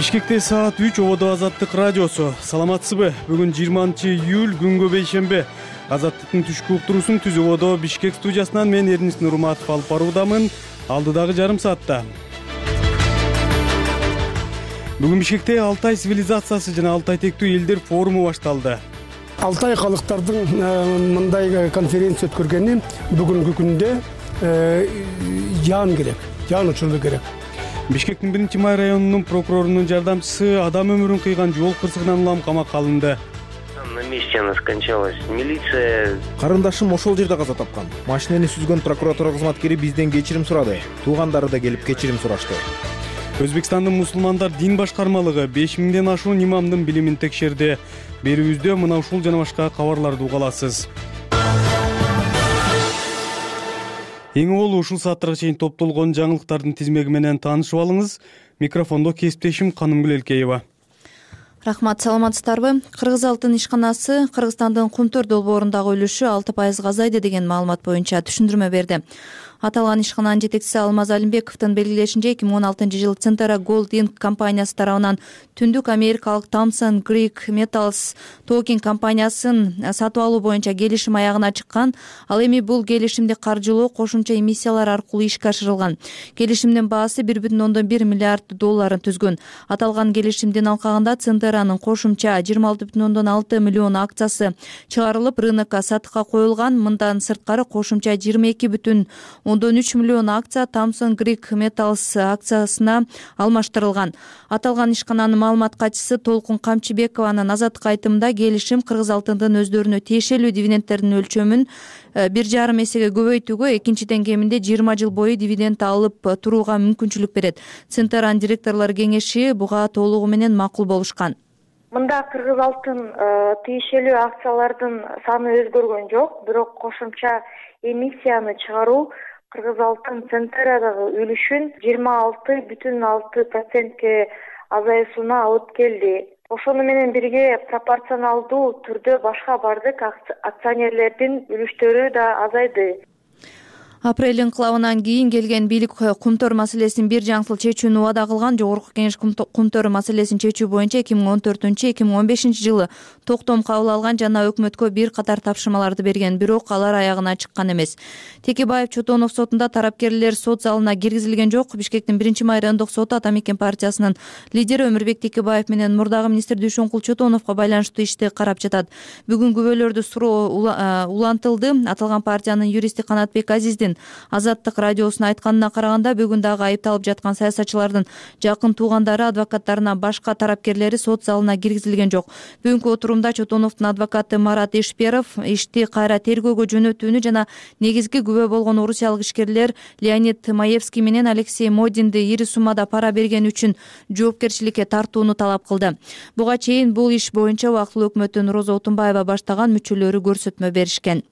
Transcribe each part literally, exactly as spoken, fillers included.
Бишкекте саат үч ободо Азаттык радиосу. Саламатсызбы? Бүгүн жыйырманчы июль күнгө бейшембе. Азаттыктын түшкү уктуруусун Түз ободо Бишкек студиясынан мен Эрнис Нурматов алып баруудамын. Алдыдагы жарым саатта. Бүгүн Бишкекте Алтай цивилизациясы жана Алтай тектүү элдер форуму башталды. Алтай калыктардын мындай конференция өткөргөнү бүгүнкү күндө жан керек, жан учурду керек. Бишкектин биринчи май районунун прокурорунун жардамчысы адам өмүрүн кыйган жол кырсыгынан улам камакка алынды. На месте она скончалась. Милиция. Карындашым ошол жерде каза тапкан. Машинени сүзгөн прокуратура кызматкери бизден кечирим сурады. Туугандары да келип кечирим сурашты. Өзбекстандын мусулмандар дин башкармалыгы беш миңден ашуун имамдын билимин текшерди. Берүүбүздө мына ушул жана башка кабарларды угаласыз. Эң олу ушул сааттарга чейин топтолгон жаңылыктардын тизмеги менен таанышып алыңыз. Микрофондо кесиптешим Канымгүл Элкеева. Рахмат, саламатсыздарбы? Кыргыз алтын ишканасы Кыргызстандын Кумтөр долбоорундагы үлүшү алты пайызга азайды деген маалымат боюнча түшүндүрмө берди. Аталган ишкананын жетекчиси Алмаз Алимбековдун белгилешинче эки миң он алтынчы жылы Центера Gold Inc компаниясы тарабынан түндүк америкалык Thomson Greek Metals Talking компаниясын сатып алуу боюнча келишим аягына чыккан. Ал эми бул келишимди каржылоо кошумча эмиссиялар аркылуу ишке ашырылган. Келишимдин баасы бир бүтүн ондон бир миллиард долларын түзгөн. Аталган келишимдин алкагында Центеранын кошумча жыйырма алты бүтүн ондон алты миллион акциясы чыгарылып, рынокко сатыкка коюлган. Мындан сырткары кошумча жыйырма эки бүтүн ондон үч миллион акция Thomson Greek Metals акциясына алмаштырылган. Аталган ишкананын маалымат катчысы Толкун Камчыбекованын азаттык айтымында келишим кыргыз алтындын өздөрүнө тиешелүү дивидендтердин өлчөмүн бир жарым эсеге көбөйтүүгө, экинчиден кеминде жыйырма жыл бою дивиденд алып турууга мүмкүнчүлүк берет. Центеранын директорлор кеңеши буга толугу менен макул болушкан. Мында кыргыз алтын тиешелүү акциялардын саны өзгөргөн жок, бирок кошумча эмиссияны чыгаруу Кыргыз алтын Центерадагы үлүшүн жыйырма алты бүтүн алты процентке азайысына алып келди. Ошону менен бирге пропорционалдуу түрдө башка бардык акционерлердин үлүштөрү да азайды. Апрель инкылабынан кийин келген бийлик Кумтөр маселесин бир жаңсыл чечүүнү убада кылган. Жогорку кеңеш Кумтөр маселесин чечүү боюнча эки миң он төртүнчү эки миң он бешинчи жылы токтом кабыл алган жана өкмөткө бир катар тапшырмаларды берген, бирок алар аягына чыккан эмес. Текебаев Чотонов сотунда тарапкерлер сот залына киргизилген жок. Бишкектин биринчи май райондук соту Ата мекен партиясынын лидери Өмүрбек Текебаев менен мурдагы министр Дүйшөнкул Чотоновго байланыштуу ишти карап жатат. Бүгүн күбөлөрдү суроо улантылды. Аталган партиянын юристи Канатбек Азиздин Азаттык радиосуна айтканына караганда, бүгүн дагы айыпталып жаткан саясатчылардын жакын туугандары, адвокаттарына башка тарапкерлери сот залына киргизилген жок. Бүгүнкү отурумда Чотоновдун адвокаты Марат Ишперов ишти кайра тергөөгө жөнөтүүнү жана негизги күбө болгон орусиялык ишкерлер Леонид Маевский менен Алексей Модинди ири суммада пара бергени үчүн жоопкерчиликке тартууну талап кылды. Буга чейин бул иш боюнча убактылуу өкмөттүн Роза Отунбаева баштаган мүчөлөрү көрсөтмө беришкен.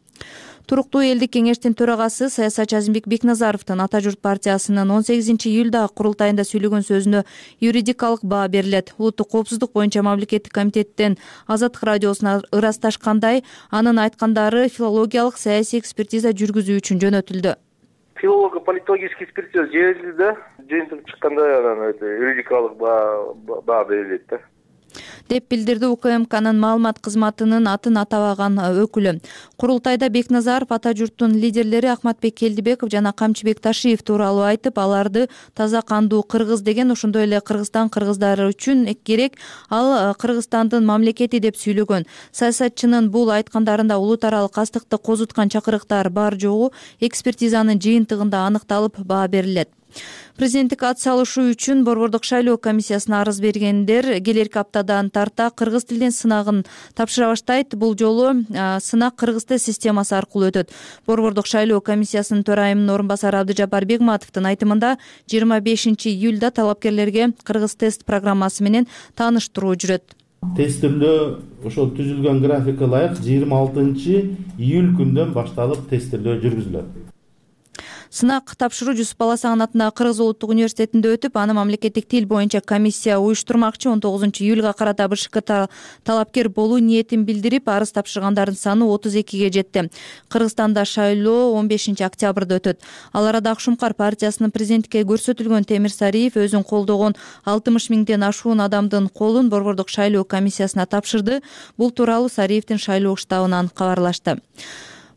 Туруктуу элдик кеңештин төрагасы саясатчы Азимбек Бекназаровдун Ата журт партиясынын он сегизинчи июлдагы курултайында сүйлөгөн сөзүнө юридикалык баа берилет. Улуттук коопсуздук боюнча мамлекеттик комитеттен Азаттык радиосуна ырасташкандай, анын айткандары филологиялык саясий экспертиза жүргүзүү үчүн жөнөтүлдү. Филолого-политологический экспертиза жиберилди да, жыйынтык чыкканда анан юридикалык баа берилет да, деп билдирди У К М К'нын маалымат кызматынын атын атабаган өкүлү. Курултайда Бекназаров Ата журттун лидерлери Ахматбек Келдибеков жана Камчыбек Ташиев тууралуу айтып, аларды таза кандуу кыргыз деген, ошондой эле Кыргызстан кыргыздары үчүн керек, ал Кыргызстандын мамлекети деп сүйлөгөн. Саясатчынын бул айткандарында улут аралык астыкты козуткан чакырыктар бар жогу экспертизанын жыйынтыгында аныкталып баа берилет. Президенттик ат салышуу үчүн Борбордук шайлоо комиссиясына арыз бергендер келерки аптадан тарта кыргыз тилден сынагын тапшыра баштайт. Бул жолу сынак кыргыз тест системасы аркылуу өтөт. Борбордук шайлоо комиссиясынын төрайымынын орун басары Абдыжапар Бегматовдун айтымында жыйырма бешинчи июлда талапкерлерге кыргыз тест программасы менен тааныштыруу жүрөт. Тестирлөө ошол түзүлгөн графикке ылайык жыйырма алтынчы июль күндөн башталып тестирлөө жүргүзүлөт. Сынак тапшыруу Жусуп Баласагын атындагы Кыргыз улуттук университетинде өтүп, аны мамлекеттик тил боюнча комиссия уюштурмакчы. он тогузунчу июлга карата БШК талапкер болуу ниетин билдирип, арыз тапшыргандардын саны отуз экиге жетти. Кыргызстанда шайлоо он бешинчи октябрда өтөт. Ал арада Ак Шумкар партиясынын президентке көрсөтүлгөн Темир Сариев өзүн колдогон алтымыш миңден ашуун адамдын колун борбордук шайлоо комиссиясына тапшырды. Бул тууралуу Сариевдин шайлоо штабынан кабарлашты.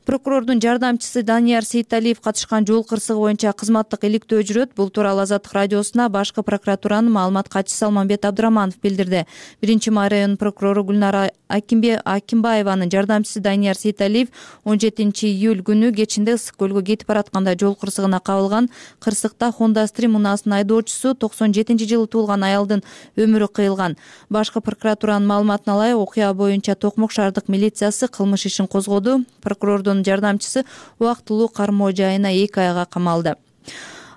Прокурордун жардамчысы Данияр Сейталиев катышкан жол кырсыгы боюнча кызматтык иликтөө жүрөт. Бул тууралуу Азаттык радиосуна башкы прокуратуранын маалымат катчысы Алмамбет Абдыраманов билдирди. Биринчи май районунун прокурору Гүлнара Акимбаеванын жардамчысы Данияр Сейталиев он жетинчи июль күнү кечинде Ысык көлгө кетип баратканда жол кырсыгына кабылган. Кырсыкта Honda Stream унаасынын айдоочусу токсон жетинчи жылы туулган аялдын өмүрү кыйылган. Башкы прокуратуранын маалыматына ылайык, окуя боюнча Токмок шаардык милициясы кылмыш ишин козгоду. Прокурордун жардамчысы убактылуу кармоо жайына эки айга камалды.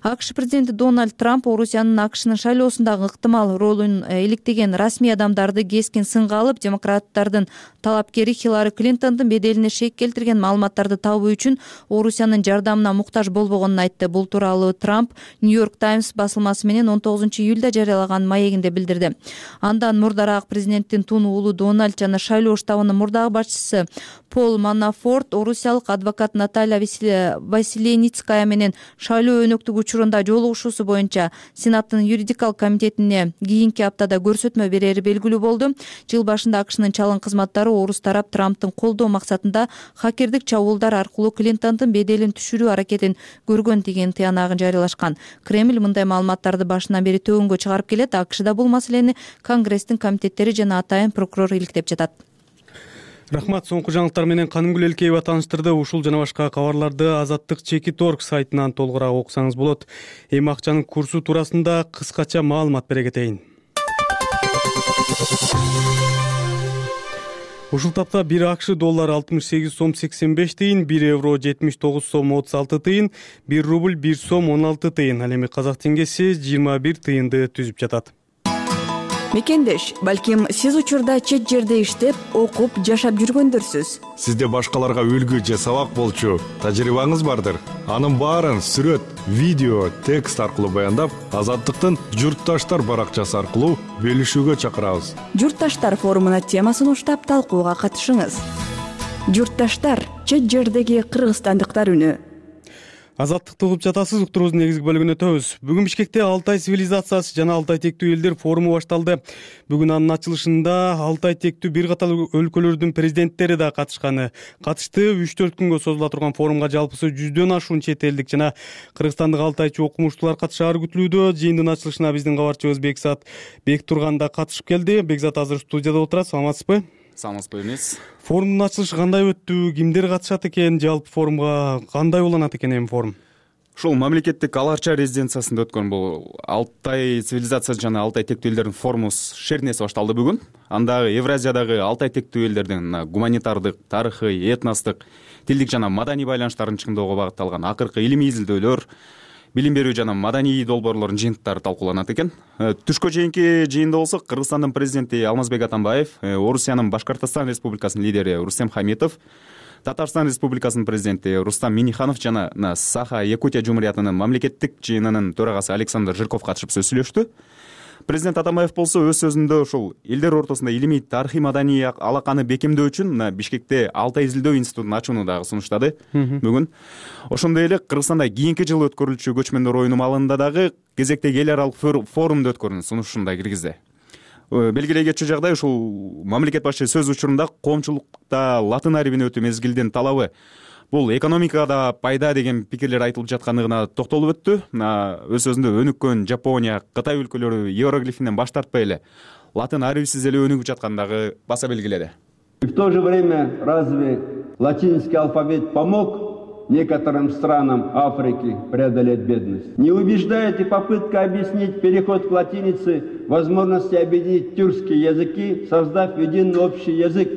АКШ президенти Дональд Трамп Орусиянын АКШнын шайлоосундагы ыктымал ролун иликтеген расмий адамдарды кескин сынга алып, демократтардын талапкери Хиллари Клинтондун беделине шек келтирген маалыматтарды табуу үчүн Орусиянын жардамына муктаж болбогонун айтты. Бул тууралуу Трамп Нью-Йорк Таймс басылмасы менен он тогузунчу июлда жарыялаган маегинде билдирди. Андан мурдараак президенттин тун уулу Дональд жана шайлоо штабынын мурдагы башчысы Пол Манафорт орусиялык адвокат Наталья Василеницкая менен шайлоо өнөктүк учурунда жолугушуусу боюнча Сенаттын юридикалык комитетине кийинки аптада көрсөтмө берери белгилүү болду. Жыл башында АКШнын чалым кызматтары орус тарап Трамптын колдоо максатында хакердик чабуулдар аркылуу Клинтондун беделин түшүрүү аракетин көргөн деген тыянагын жарыялашкан. Кремль мындай маалыматтарды башынан бери төгөнгө чыгарып келет. АКШда бул маселени Конгресстин комитеттери жана атайын прокурор иликтеп жатат. Рахмат, соңку жаңылыктар менен Канымгүл Элкеева тааныштырды. Ушул жана башка кабарларды Азаттык Чекит точка орг сайтынан толугураак окусаңыз болот. Эми акчанын курсу туурасында кыскача маалымат бере кетейин. Ушул тапта бир АКШ доллар алтымыш сегиз сом сексен беш тыйын, бир евро жетимиш тогуз сом отуз алты тыйын, бир рубль бир сом он алты тыйын. Ал эми казак теңгеси жыйырма бир тыйынды түзүп жатат. Мекендеш, балким сиз учурда чет жерде иштеп, окуп, жашап жүргөндөрсүз. Сизде башкаларга үлгү же сабак болчу тажрыйбаңыз бардыр. Анын баарын сүрөт, видео, текст аркылуу баяндап, Азаттыктын Журтташтар баракчасы аркылуу бөлүшүүгө чакырабыз. Журтташтар форумуна темасын уштап талкууга катышыңыз. Журтташтар — чет жердеги кыргызстандыктар үнү. Азаттыкты угуп жатасыз, уктуруубуздун негизги бөлүгүнө өтөбүз. Бүгүн Бишкекте Алтай цивилизациясы жана Алтай тектүү элдер форуму башталды. Бүгүн анын ачылышында Алтай тектүү бир катар өлкөлөрдүн президенттери да катышканы. Катышты. үч төрт күнгө созула турган форумга жалпысы жүздөн ашуун чет элдик жана кыргызстандык алтайчы окумуштуулар катышаары күтүлүүдө. Жыйындын ачылышына биздин кабарчыбыз Бекзат Бектурган да катышып келди. Бекзат азыр студияда отурат. Саламатсызбы? Саламатсызбы эмес. Форумдун ачылышы кандай өттү? Кимдер катышат экен? Жалпы форумга кандай уланат экен эми форум? Ушул мамлекеттик Аларча резиденциясында өткөн бул Алтай цивилизациясы жана Алтай тектүү элдердин форуму шернеси башталды бүгүн. Андагы Евразиядагы Алтай тектүү элдердин гуманитардык, тарыхый, этностук, тилдик жана маданий байланыштарын чыңдоого багытталган акыркы илимий изилдөөлөр, билим берүү жана маданий долбоорлордун жыйынтыктары талкууланат экен. Түшкө чейинки жыйында болсо Кыргызстандын президенти Алмазбек Атамбаев, Орусиянын Башкортостон Республикасынын лидери Рустем Хамитов, Татарстан Республикасынын президенти Рустам Миниханов жана Саха-Якутия Жумуриятынын мамлекеттик жыйынынын төрагасы Александр Жирков катышып сөз сүйлөштү. Президент Атамбаев болсо өз сөзүндө ушул элдер ортосунда илимий, тарыхый, маданий алаканы бекемдөө үчүн Бишкекте Алтай изилдөө институтун ачууну дагы сунуштады бүгүн. Ошондой эле Кыргызстанда кийинки жылы өткөрүлчү көчмөндөр оюну маалында дагы кезектеги эл аралык форумду өткөрүүнүн сунушун да киргизди. Белгилей кетчү жагдай ушул мамлекет башчы сөз учурунда коомчулукта латын арибине өтүү мезгилдин талабы бул экономикада пайда деген пикирлер айтылып жаткандыгына токтолуп өттү. Өз сөзүндө өнүккөн Жапония, Кытай өлкөлөрү иероглифинен баш тартпай эле латын арибисиз эле өнүгүп жаткандыгы баса белгиледи. И в то же время разве латинский алфавит помог некоторым странам Африки преодолеть бедность? Не убеждает и попытка объяснить переход к латинице возможности объединить тюркские языки, создав единый общий язык,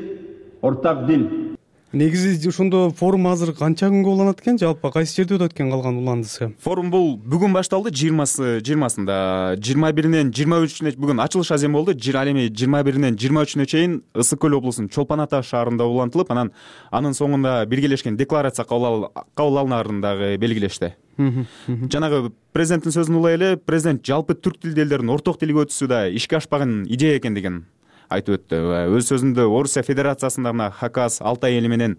ортак дил. Негизи ошондо форум азыр канча күнгө уланат экен? Жалпы кайсы жерде өтөт экен калган уландысы? Форум бул бүгүн башталды, жыйырмасы жыйырмасында, жыйырма биринен жыйырма үчүнө бүгүн ачылыш азем болду. Ал эми жыйырма биринен жыйырма үчүнө чейин Ысык көл облусунун Чолпон Ата шаарында улантылып, анан анын соңунда биргелешкен декларация кабыл алынаарын дагы белгилешти. жанагы президенттин сөзүн улай эле президент жалпы түрк тилдүү элдердин орток тилге өтүүсү да ишке ашпаган идея экендигин айтып өттү. Өз сөзүндө Орусия Федерациясындагы Хакас, Алтай эли менен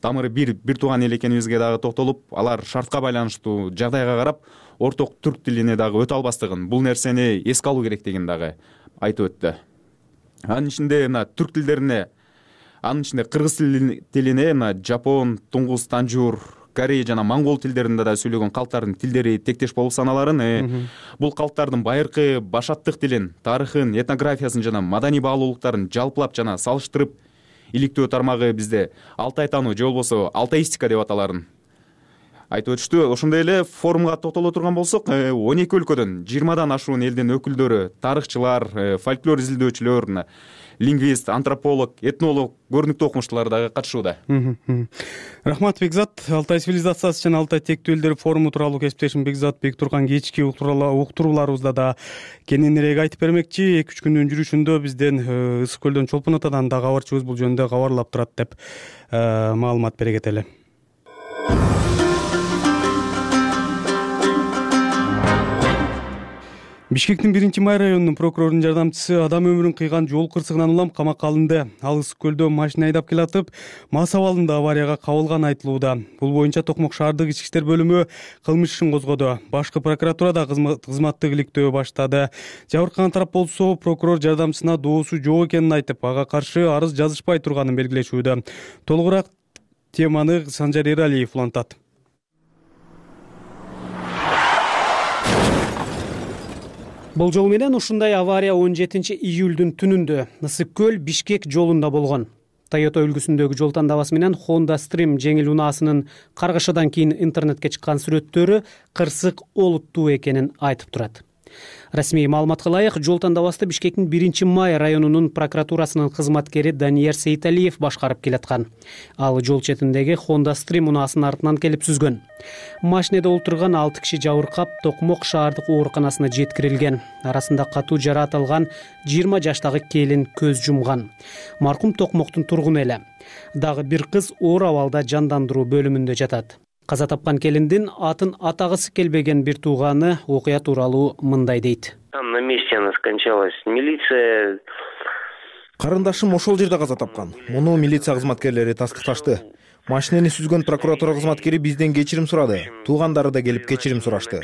тамыры бир бир тууган эл экенибизге дагы токтолуп, алар шартка байланыштуу жагдайга карап орток түрк тилине дагы өтө албастыгын, бул нерсени эске алуу керектигин дагы айтып өттү. Анын ичинде мына түрк тилдерине, анын ичинде кыргыз тилине мына жапон, туңгуз, танжур, корей жана монгол тилдеринде да сүйлөгөн калктардын тилдери тектеш болуп саналарын, бул калктардын байыркы башаттык тилин, тарыхын, этнографиясын жана маданий баалуулуктарын жалпылап жана салыштырып иликтөө тармагы бизде алтай таануу же болбосо алтаистика деп аталарын айтып өтүштү. Ошондой эле форумга токтоло турган болсок, он эки өлкөдөн жыйырмадан ашуун элдин өкүлдөрү, тарыхчылар, фольклор изилдөөчүлөр, лингвист, антрополог, этнолог, көрүнүктүү окумуштуулар дагы катышууда. Рахмат Бекзат. Алтай цивилизациясы жана Алтай тектүү элдер форуму тууралуу кесиптешим Бекзат Бектурган кечки уктурууларыбызда да кененирээк айтып бермекчи. эки үч күндүн жүрүшүндө бизден Ысык көлдөн Чолпон Атадан да кабарчыбыз бул жөнүндө кабарлап турат деп маалымат бере кетели. Бишкектин биринчи май районунун прокурорунун жардамчысы адам өмүрүн кыйган жол кырсыгынан улам камакка алынды. Ал Ысык көлдө машина айдап келатып, мас абалында аварияга кабылган айтылууда. Бул боюнча Токмок шаардык ички иштер бөлүмү кылмыш ишин козгоду. Башкы прокуратура да кызматтык иликтөө баштады. Жабыркаган тарап болсо, прокурор жардамчысына доосу жок экенин айтып, ага каршы арыз жазышпай турганын белгилешүүдө. Толугураак теманы Санжар Эралиев улантат. Бул жол менен ушундай авария он жетинчи июлдун түнүндө Ысык көл Бишкек жолунда болгон. Toyota үлгүсүндөгү жол тандабасы менен Honda Stream жеңил унаасынын каргышадан кийин интернетке чыккан сүрөттөрү кырсык олуттуу экенин айтып турат. Расмий маалыматка ылайык, жол тандабасты Бишкектин биринчи май районунун прокуратурасынын кызматкери Данияр Сейталиев башкарып келаткан. Ал жол четиндеги Honda Stream унаасынын артынан келип сүзгөн. Машинеде олтурган алты киши жабыркап Токмок шаардык ооруканасына жеткирилген. Арасында катуу жараат алган жыйырма жаштагы келин көз жумган. Маркум Токмоктун тургуну эле. Дагы бир кыз оор абалда жандандыруу бөлүмүндө жатат. Каза тапкан келиндин атын атагысы келбеген бир тууганы окуя тууралуу мындай дейт. Там на месте она скончалась. Милиция. Карындашым ошол жерде каза тапкан. Муну милиция кызматкерлери тастыкташты. Машинени сүзгөн прокуратура кызматкери бизден кечирим сурады. Туугандары да келип кечирим сурашты.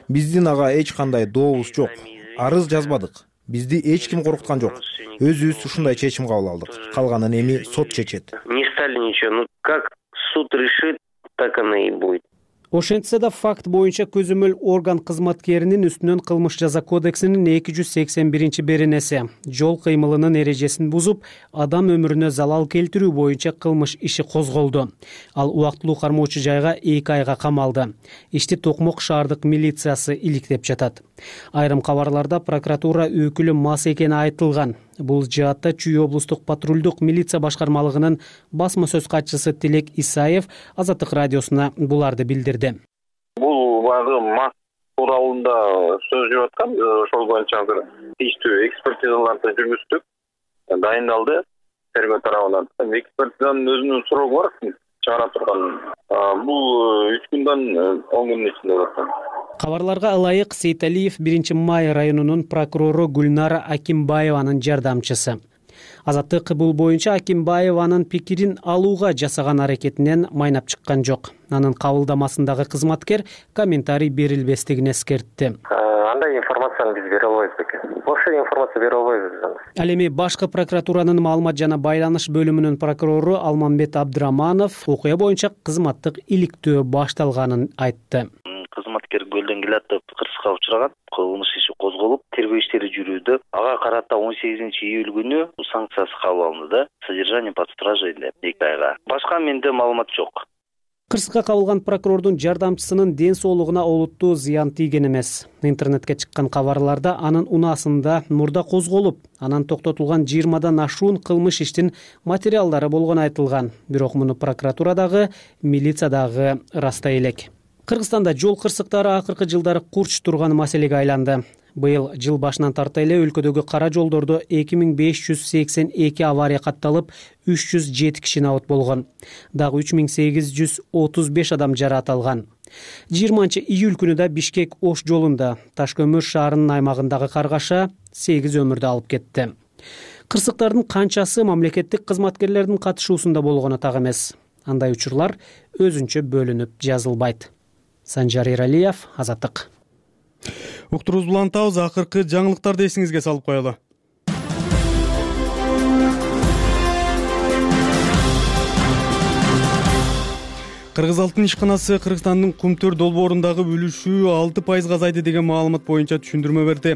Биздин ага эч кандай дообуз жок. Арыз жазбадык. Бизди эч ким коркуткан жок. Өзүбүз ушундай чечим кабыл алдык. Калганын эми сот чечет. Не стали ничего. Ну как суд решит, так оно и будет. Ошентсе да факт боюнча көзөмөл орган кызматкеринин үстүнөн кылмыш жаза кодексинин эки жүз сексен биринчи беренеси жол кыймылынын эрежесин бузуп, адам өмүрүнө залал келтирүү боюнча кылмыш иши козголду. Ал убактылуу кармоочу жайга эки айга камалды. Ишти Токмок шаардык милициясы иликтеп жатат. Айрым кабарларда прокуратура өкүлү мас экени айтылган. Бул жаатта Чүй облустук патрулдук милиция башкармалыгынын басма сөз катчысы Тилек Исаев Азаттык радиосуна буларды билдирди. Бул багы мас тууралуунда сөз жүрүп аткан, ошол боюнча азыр тийиштүү экспертизаларды жүргүздүк, дайындалды тергөө тарабынан. Экспертизанын өзүнүн срогу бар, чыгара турган. Бул үч күндөн он күндүн ичинде болот. Кабарларга ылайык Сейталиев биринчи май районунун прокурору Гүлнара Акимбаеванын жардамчысы. Азаттык бул боюнча Акимбаеванын пикирин алууга жасаган аракетинен майнап чыккан жок. Анын кабылдамасындагы кызматкер комментарий берилбестигин эскертти. Андай информацияны биз бере албайбыз бекен. Ошол информация бере албайбыз. Ал эми башкы прокуратуранын маалымат жана байланыш бөлүмүнүн прокурору Алмамбет Абдыраманов окуя боюнча кызматтык иликтөө башталганын айтты. Кызматкер көлдөн келатып кырсыкка учураган, кылмыш иши козголуп, тергөө иштери жүрүүдө. Ага карата он сегизинчи июль күнү санкциясы кабыл алынды да, содержание под стражей деп эки айга. Башка менде маалымат жок. Кырсыкка кабылган прокурордун жардамчысынын ден соолугуна олуттуу зыян тийген эмес. Интернетке чыккан кабарларда анын унаасында мурда козголуп, анан токтотулган жыйырмадан ашуун кылмыш иштин материалдары болгону айтылган. Бирок муну прокуратурадагы, милициядагы растай элек. Кыргызстанда жол кырсыктары акыркы жылдары курч турган маселеге айланды. Быйыл жыл башынан тарта эле өлкөдөгү кара жолдордо эки миң беш жүз сексен эки авария катталып, үч жүз жети киши абат болгон. Дагы үч миң сегиз жүз отуз беш адам жараат алган. жыйырманчы июль күнү да Бишкек Ош жолунда Ташкөмүр шаарынын аймагындагы каргаша сегиз өмүрдү алып кетти. Кырсыктардын канчасы мамлекеттик кызматкерлердин катышуусунда болгону так эмес. Андай учурлар өзүнчө бөлүнүп жазылбайт. Санжар Эралиев, Азаттык. Уктуруубузду улантабыз, акыркы жаңылыктарды эсиңизге салып коелу. Кыргыз алтын ишканасы Кыргызстандын Кумтөр долбоорундагы үлүшү алты пайызга азайды деген маалымат боюнча түшүндүрмө берди.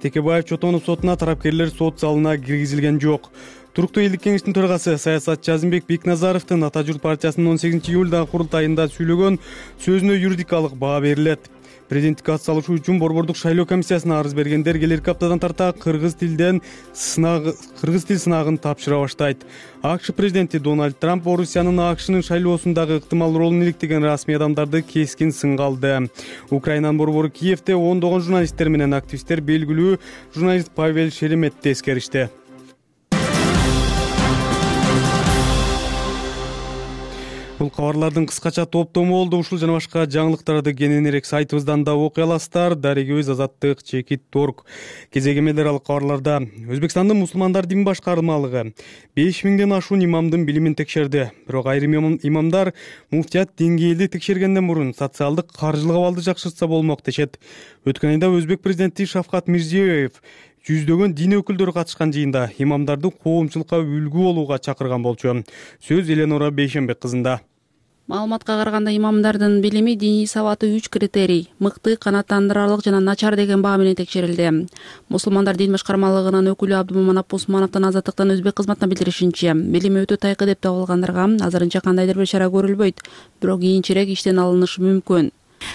Текебаев Чотонов сотуна тарапкерлер сот залына киргизилген жок. Туруктуу элдик кеңештин төрагасы саясатчы Азимбек Бекназаровдун Ата журт партиясынын он сегизинчи июлдагы курултайында сүйлөгөн сөзүнө юридикалык баа берилет. Президенттикке ат салышуу үчүн борбордук шайлоо комиссиясына арыз бергендер келерки аптадан тарта кыргыз тилден сынак кыргыз тил сынагын тапшыра баштайт. АКШ президенти Дональд Трамп Орусиянын АКШнын шайлоосундагы ыктымал ролун иликтеген расмий адамдарды кескин сынга алды. Украинанын борбору Киевде ондогон журналисттер менен активисттер белгилүү журналист Павел Шереметти эскеришти. Бул кабарлардын кыскача топтому болду. Ушул жана башка жаңылыктарды кененирээк сайтыбыздан да окуй аласыздар. Дарегибиз Азаттык чекит торг. Кезек эмелер алып кабарларда Өзбекстандын мусулмандар дин башкармалыгы беш миңден ашуун имамдын билимин текшерди. Бирок айрым имамдар муфтият деңгээлди текшергенден мурун социалдык каржылык абалды жакшыртса болмок дешет. Өткөн айда Өзбек президенти Шавкат Мирзиёев жүздөгөн дин өкүлдөрү катышкан жыйында имамдарды коомчулукка үлгү болууга чакырган болчу. Сөз Эленора Бейшенбек кызында. Маалыматка караганда имамдардын билими, диний сабаты үч критерий: мыкты, канааттандырарлык жана начар деген баа менен текшерилди. Мусулмандар дин башкармалыгынын өкүлү Абдуманап Усмановдун Азаттыктан Өзбек кызматына билдиришинче, билими өтө тайкы деп табылгандарга азырынча кандайдыр бир чара көрүлбөйт, бирок кийинчерээк иштен алынышы мүмкүн.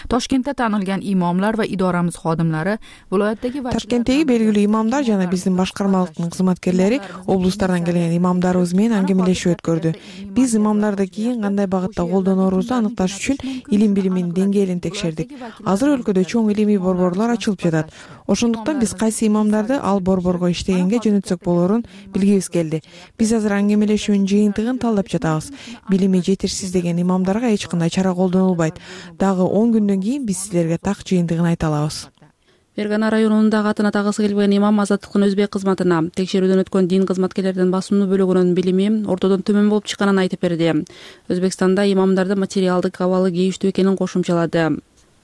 Тошкентте таанылган имамлар ва идорамыз xodimlari viloyatdagi Ташкенттеги белгилүү имамдар жана биздин башкармалыктын кызматкерлери облустардан келген имамдарыбыз менен аңгемелешүү өткөрдү. Биз имамдарды кийин кандай багытта колдонорубузду аныкташ үчүн илим билиминин деңгээлин текшердик. Азыр өлкөдө чоң илимий борборлор ачылып жатат. Ошондуктан биз кайсы имамдарды ал борборго иштегенге жөнөтсөк болорун билгибиз келди. Биз азыр аңгемелешүүнүн жыйынтыгын талдап жатабыз. Билими жетишсиз деген имамдарга эч кандай чара колдонулбайт. Дагы он күндөн кийин биз силерге так жыйынтыгын айта алабыз. Фергана районундагы атына тагысы келбеген имам Азаттыктын Өзбек кызматына текшерүүдөн өткөн дин кызматкерлердин басымдуу бөлүгүнүн билими ортодон төмөн болуп чыкканын айтып берди. Өзбекстанда имамдарды материалдык абалы кейиштүү экенин кошумчалады.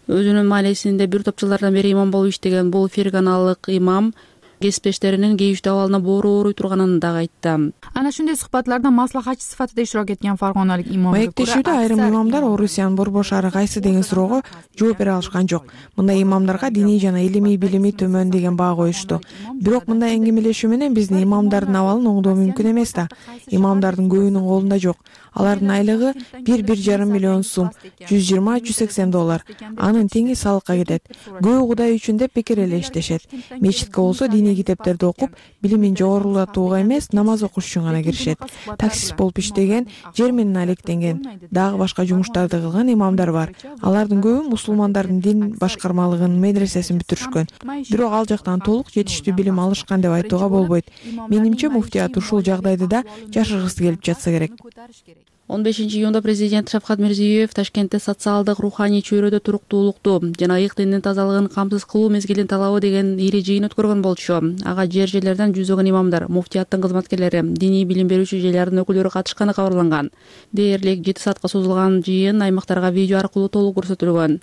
Өзүнүн маалесинде бир топ жылдардан бери имам болуп иштеген бул ферганалык имам кесиптештеринин кейиштүү абалына боору ооруй турганын дагы айтты. Ana shunday suhbatlarda maslahatchi sifatida ishtirok etgan farg'onalik imomga Маектешүүдө айрым имамдар Орусиянын борбор шаары кайсы деген суроого жооп бере алышкан жок. Мындай имамдарга диний жана илимий билими төмөн деген баа коюшту. Бирок мындай эңгемелешүү менен биздин имамдардын абалын оңдоо мүмкүн эмес да. Имамдардын көбүнүн колунда жок. Алардын айлыгы бир бир жарым миллион сум, жүз жыйырма жүз сексен доллар. Анын теңи салыкка кетет. Көбү Кудай үчүн деп бекер эле иштешет. Мечитке болсо диний китептерди окуп, билимин жогорулатууга эмес, намаз окуш үчүн гана киришет. Таксист болуп иштеген, жер менен алектенген, дагы башка жумуштарды кылган имамдар бар. Алардын көбү мусулмандардын дин башкармалыгынын медресесин бүтүрүшкөн. Бирок ал жактан толук жетиштүү билим алышкан деп айтууга болбойт. Менимче муфтият ушул жагдайды да жашыргысы келип жатса керек. он бешинчи июнда президент Шавкат Мирзиёев Ташкентте социалдык руханий чөйрөдө туруктуулукту жана ыйык диндин тазалыгын камсыз кылуу мезгилин талабы деген ири жыйын өткөргөн болчу. Ага жер жерлерден жүздөгөн имамдар, муфтияттын кызматкерлери, диний билим берүүчү жайлардын өкүлдөрү катышканы кабарланган. Дээрлик жети саатка созулган жыйын аймактарга видео аркылуу толук көрсөтүлгөн.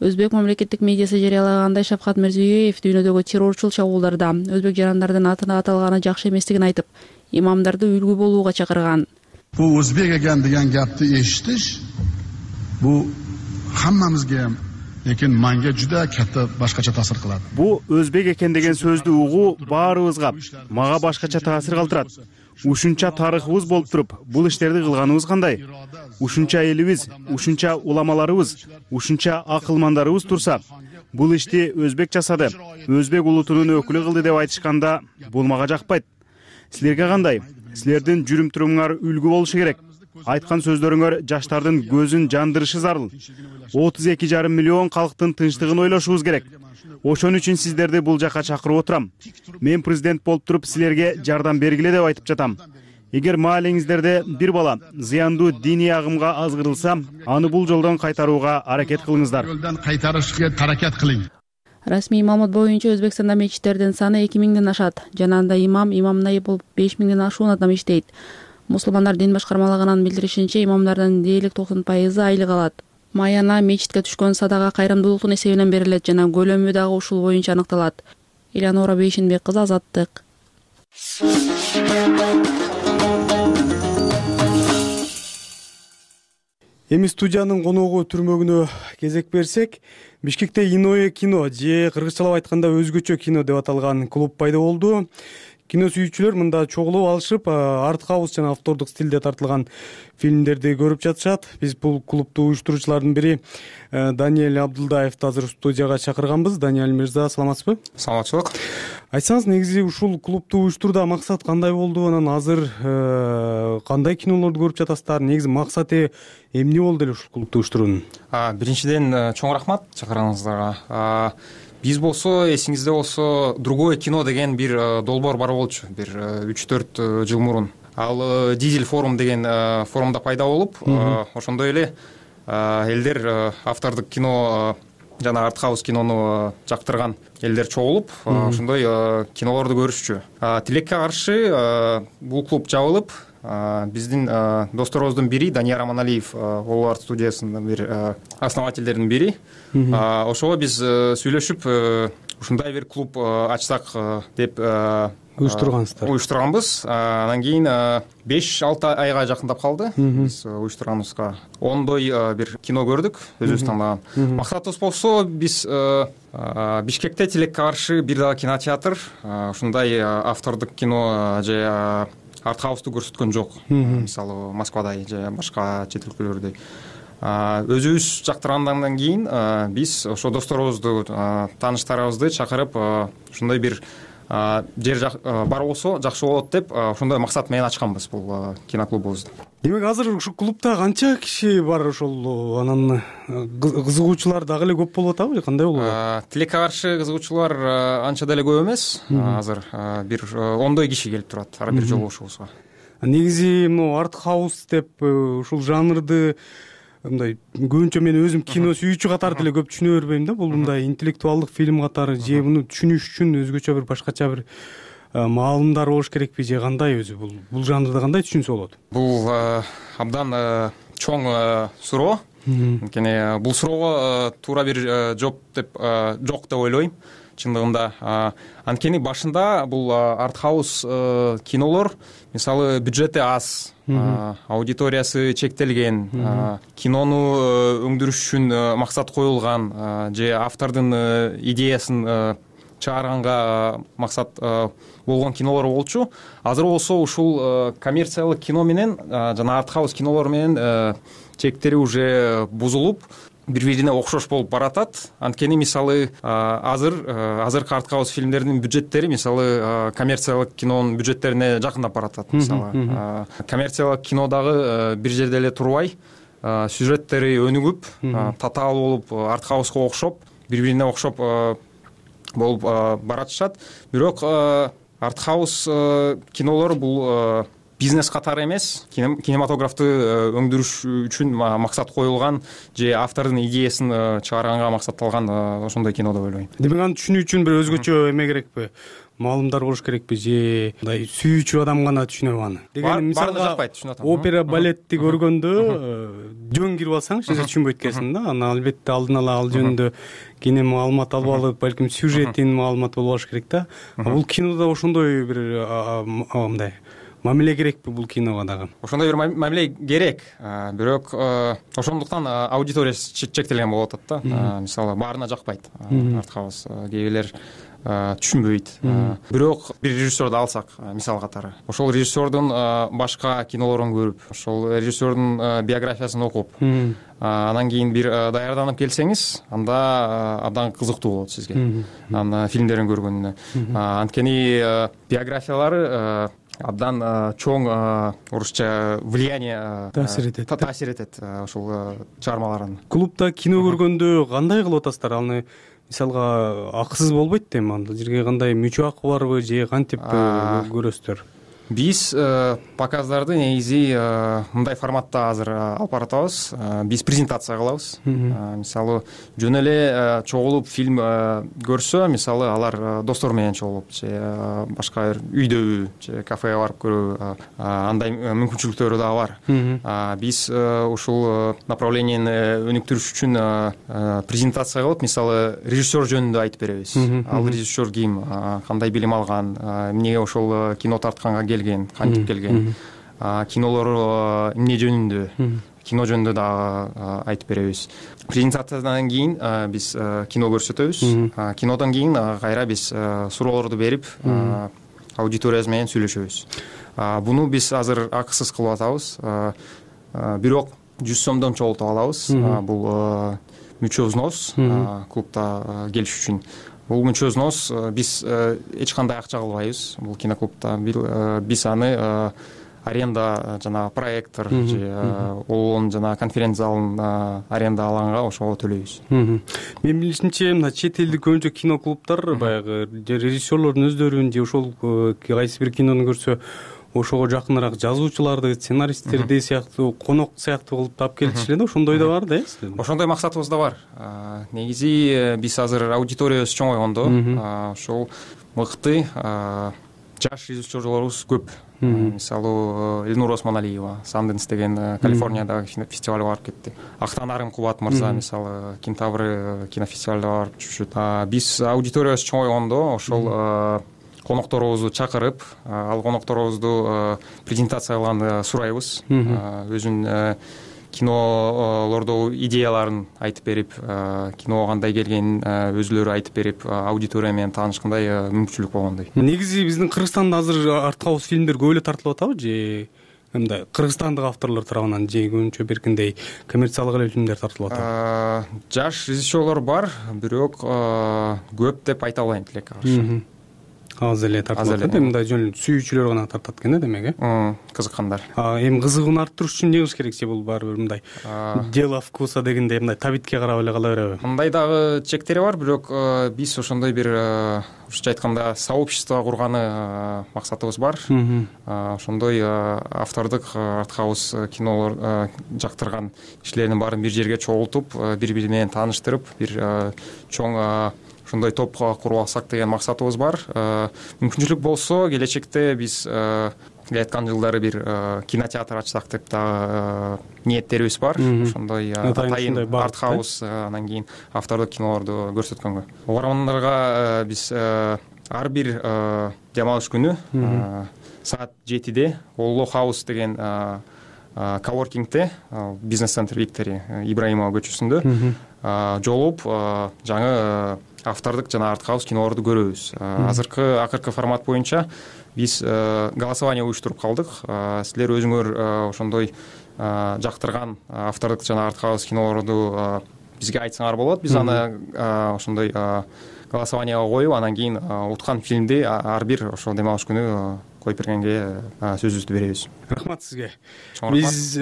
Өзбек мамлекеттик медиасы жарыялагандай Шавкат Мирзиёев дүйнөдөгү террорчул чабуулдарда өзбек жарандардын атына аталганы жакшы эместигин айтып, имамдарды үлгү болууга чакырган. Bu o'zbek ekan degan gapni eshitish bu hammamizga ham, lekin menga juda katta boshqacha ta'sir qiladi. Bu o'zbek ekan degan so'zni uyg'u baribizga, maga boshqacha ta'sir qildiradi. Ушунча тарыхыбыз болуп туруп, бул иштерди кылганыбыз кандай? Ушунча элибиз, ушунча уламаларыбыз, ушунча акылмандарыбыз турса, бул ишти өзбек жасады, өзбек улутунун өкүлү кылды деп айтышканда, бул мага жакпайт. Силерге кандай? Силердин жүрүм турумуңар үлгү болушу керек. айткан сөздөрүңөр жаштардын көзүн жандырышы зарыл. отуз эки жарым миллион калктын тынчтыгын ойлошубуз керек. Ошон үчүн сиздерди бул жака чакырып отурам. Мен президент болуп туруп силерге жардам бергиле деп айтып жатам. Эгер маалиңиздерде бир бала зыяндуу диний агымга азгырылса, аны бул жолдон кайтарууга аракет кылыңыздар. Жолдон кайтарышка аракет кылың. Расмий маалымат боюнча Өзбекстанда мечиттердин саны эки миңден ашат. Жана анда имам, имам найып болуп беш миңден ашуун адам иштейт. Мусулмандар дин башкармалыгынын билдиришинче, имамдардын дээрлик токсон пайызы айлык алат. Маяна мечитке түшкөн садага кайрымдуулуктун эсебинен берилет жана көлөмү дагы ушул боюнча аныкталат. Элеонора Бейшенбек кызы, Азаттык. Эми студиянын коногу түрмөгүнө кезек берсек, Бишкекте Иное кино же кыргызчалап айтканда өзгөчө кино деп аталган клуб пайда болду. Кино сүйүүчүлөр мында чогулуп алышып, арт-хаус жана автордук стилде тартылган фильмдерди көрүп жатышат. Биз бул клубду уюштуруучулардын бири Даниэль Абдулдаевди азыр студияга чакырганбыз. Даниэль мырза, саламатсызбы? Саламатчылык. Айтсаңыз, негизи ушул клубду уюштурууда максат кандай болду? Анан азыр кандай кинолорду көрүп жатасыздар? Негизи максаты эмне болду эле ушул клубду уюштуруунун? Биринчиден чоң рахмат чакырганыңыздарга. Биз болсо, эсиңизде болсо, другое кино деген бир долбоор бар болчу, бир үч төрт жыл мурун. Ал Дизель форум деген форумда пайда болуп, ошондой эле элдер автордук кино жана арт-хаус кинону жактырган элдер чогулуп, ошондой кинолорду көрүшчү. Тилекке каршы бул клуб жабылып, биздин досторубуздун бири Данияр Аманалиев, Олар студиясынын бир основательдеринин бири. Ошого биз сүйлөшүп, ушундай бир клуб ачсак деп уюштургансыздар. Уюштурганбыз. Анан кийин беш алты айга жакындап калды биз уюштурганыбызга. Ондой бир кино көрдүк, өзүбүз тандаган. Максатыбыз болсо, биз Бишкекте тилекке каршы бир дагы кинотеатр, ушундай автордук кино же арт-хаусту көрсөткөн жок. Мисалы Москвадай же башка чет өлкөлөрдөй. Өзүбүз жактыргандан кийин биз ошо досторубузду, тааныштарыбызды чакырып, ушундай бир жер бар болсо жакшы болот деп, ошондой максат менен ачканбыз бул киноклубубузду. Демек, азыр ушул клубда канча киши бар? Ошол анан кызыгуучулар дагы эле көп болуп атабы же кандай болуп атат? Тилекке каршы кызыгуучулар анча деле көп эмес. Азыр бир ондой киши келип турат ар бир жолугушуубузга. Негизи могу арт-хаус деп ушул жанрды мындай көбүнчө мен өзүм кино сүйүүчү катары деле көп түшүнө бербейм да. Бул мындай интеллектуалдык фильм катары же муну түшүнүш үчүн өзгөчө бир башкача бир маалымдар болуш керекпи же кандай? Өзү бул бул жанрды кандай түшүнсө болот? Бул абдан чоң суроо. Анткени бул суроого туура бир жооп деп жок деп ойлойм. Чындыгында анткени башында бул арт-хаус кинолор, мисалы, бюджети аз, аудиториясы чектелген, кинону өңдүрүш үчүн максат коюлган же автордун идеясын чыгарганга максат болгон кинолор болчу. Азыр болсо ушул коммерциялык кино менен жана арт-хаус кинолор менен чектери уже бузулуп, бири-бирине окшош болуп баратат. Анткени мисалы азыр азыркы арт-хаус фильмдердин бюджеттери мисалы коммерциялык кинонун бюджеттерине жакындап баратат. Мисалы коммерциялык кино дагы бир жерде эле турбай, сюжеттери өнүгүп, татаал болуп, арт-хауска окшоп, бири-бирине окшоп болуп баратышат. Бирок арт-хаус кинолор бул бизнес катары эмес, кинематографты өңдүрүш үчүн максат коюлган же автордун идеясын чыгарганга максатталган ошондой кино деп ойлойм. Демек, аны түшүнүү үчүн бир өзгөчө эме керекпи? Маалымдар болуш керекпи же мындай сүйүүчү адам гана түшүнөбү аны? Дегени мисалга опера, балетти көргөндө жөн кирип алсаң эч нерсе түшүнбөйт экенсиң да. Аны албетте алдын ала ал жөнүндө кене маалымат алып алып, балким сюжетин маалымат болуп алыш керек да. Бул кинода ошондой бир мындай мамиле керекпи бул киного дагы? Ошондой бир мамиле керек. Бирок ошондуктан аудиториясы чектелген болуп атат да. Мисалы, баарына жакпайт арт-хаус, кээ бирлер түшүнбөйт. Бирок бир режиссерди алсак, мисал катары, ошол режиссердун башка кинолорун көрүп, ошол режиссердун биографиясын окуп, анан кийин бир даярданып келсеңиз, анда абдан кызыктуу болот сизге анын фильмдерин көргөндө. Анткени биографиялары абдан чоң орусча влияние таасир этет таасир этет ушул чыгармаларын. Клубда кино көргөндө кандай кылып атасыздар? Аны мисалга акысыз болбойт дейм, анда жерге кандай мүчө акы барбы же кантип көрөсүздөр? Биз показдарды негизи мындай форматта азыр алып баратабыз. Биз презентация кылабыз. Мисалы жөн эле чогулуп фильм көрсө, мисалы алар достор менен чогулуп же башка бир үйдөбү же кафеге барып көрөбү, андай мүмкүнчүлүктөрү дагы бар. Биз ушул направлениени өнүктүрүш үчүн презентация кылып, мисалы режиссер жөнүндө айтып беребиз. Ал режиссер ким, кандай билим алган, эмнеге ошол кино тартканга кантип келген, кинолору эмне жөнүндө, кино жөнүндө дагы айтып беребиз. Презентациядан кийин биз кино көрсөтөбүз. Кинодон кийин кайра биз суроолорду берип, аудиториябыз менен сүйлөшөбүз. Буну биз азыр акысыз кылып атабыз. Бирок жүз сомдон чогултуп алабыз. Бул мүчө взнос клубда келиш үчүн. Бул мүчө взнос биз эч кандай акча кылбайбыз бул киноклубда. Биз аны аренда жана проектор же олон жана конференция залын аренда алганга ошого төлөйбүз. Мен билишимче, мына чет элдик көбүнчө киноклубдар баягы режиссерлордун өздөрүн же ошол кайсы бир кинону көрсө ошого жакыныраак жазуучуларды, сценаристтерди сыяктуу, конок сыяктуу кылып таап келишиле да, ошондой да бар да, э? Ошондой максатыбыз да бар. Негизи биз азыр аудиториябыз чоңойгондо, ошол мыкты жаш режиссерлорубуз көп. Мисалы Элнур Осмоналиева, Санденс деген Калифорниядагы фестивалга барып кетти. Актанарым Кубат мырза, мисалы Кентавры кинофестивалга барып жүрүшөт. Биз аудиториябыз чоңойгондо ошол конокторубузду чакырып, ал конокторубузду презентация кылганды сурайбыз. Өзүнүн кинолордогу идеяларын айтып берип, киного кандай келгенин өзүлөрү айтып берип, аудитория менен таанышкандай мүмкүнчүлүк болгондой. Негизи биздин Кыргызстанда азыр арткаус фильмдер көп эле тартылып атабы же мындай кыргызстандык авторлор тарабынан же көбүнчө беркиндей коммерциялык эле фильмдер тартылып атабы? Жаш режиссерлор бар, бирок көп деп айта албайм тилекке каршы. Аз эле тартылат да, мындай жөн сүйүүчүлөр гана тартат экен да, демек, э? Кызыккандар. Эми кызыгууну арттырыш үчүн эмне кылыш керек? Же бул баары бир мындай дело вкуса дегендей мындай табитке карап эле кала береби? Мындай дагы чектери бар, бирок биз ошондой бир орусча айтканда сообщество курганы максатыбыз бар. Ошондой автордук артхаус кинолор жактырган кишилердин баарын бир жерге чогултуп, бири-бири менен тааныштырып, бир чоң ошондой топ куруп алсак деген максатыбыз бар. Мүмкүнчүлүк болсо келечекте биз айткан жылдары бир кинотеатр ачсак деп дагы ниеттерибиз бар. Ошондой атайын артхаус, анан кийин автордук кинолорду көрсөткөнгө. Угармандарга биз ар бир дем алыш күнү саат жетиде Олло хаус деген коворкингте, бизнес-центр Виктори Ибраимова көчөсүндө жолугуп жаңы автордук жана артхаус кинолорду көрөбүз. Азыркы акыркы формат боюнча биз голосование уюштуруп калдык. Силер өзүңөр ошондой жактырган автордук жана артхаус кинолорду бизге айтсаңар болот. Биз аны ошондой голосованияга коюп, анан кийин уткан фильмди ар бир ошол дем алыш күнү коюп бергенге сөзүбүздү беребиз. Рахмат сизге. Биз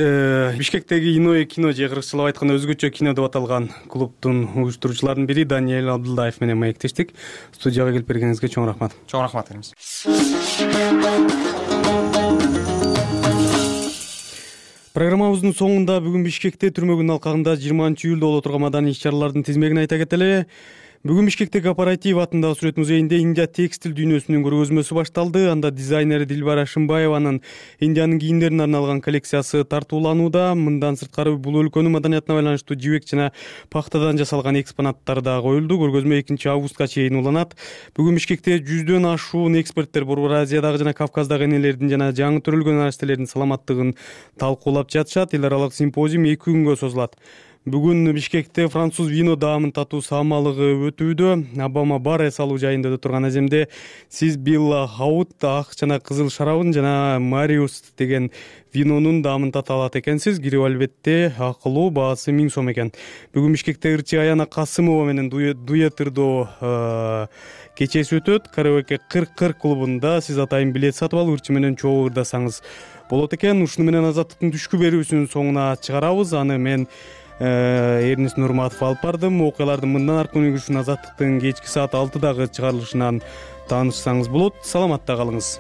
Бишкектеги Иное кино же кыргызчалап айтканда өзгөчө кино деп аталган клубдун уюштуруучуларынын бири Даниэль Абдулдаев менен маектештик. Студияга келип бергениңизге чоң рахмат. Чоң рахмат дейбиз. Программабыздын соңунда бүгүн Бишкекте түрмөгүнүн алкагында жыйырманчы июлда боло турган маданий иш-чаралардын тизмегин айта кетели. Бүгүн Бишкекте Кооператив атындагы сүрөт музейинде Индия текстил дүйнөсүнүн көргөзмөсү башталды. Анда дизайнер Дилбара Шымбаеванын Индиянын кийимдерине арналган коллекциясы тартууланууда. Мындан сырткары бул өлкөнүн маданиятына байланыштуу жибек жана пахтадан жасалган экспонаттар да коюлду. Көргөзмө экинчи августка чейин уланат. Бүгүн Бишкекте жүздөн ашуун эксперттер Борбор Азиядагы жана Кавказдагы энелердин жана жаңы төрөлгөн нарастелердин саламаттыгын талкуулап жатышат. Эл аралык симпозиум эки күнгө созулат. Бүгүн Бишкекте француз вино даамын татуу саамалыгы өтүүдө. Обама бар эс алуу жайында отурган аземде сиз Билла Хаут ак жана кызыл шарабын жана Мариус деген винонун даамын тата алат экенсиз. Кирип албетте акылуу, баасы миң сом экен. Бүгүн Бишкекте ырчы Аяна Касымова менен дуэтырдоо кечеси өтөт. Караоке кырк кырк клубунда сиз атайын билет сатып алып ырчы менен чогуу ырдасаңыз болот экен. Ушуну менен Азаттыктын түшкү берүүсүнүн соңуна чыгарабыз. Аны мен Эрнис Нурматов алып бардым. Окуялардын мындан аркы өнүгүшүн Азаттыктын кечки саат алтыдагы чыгарылышынан таанышсаңыз болот. Саламатта калыңыз.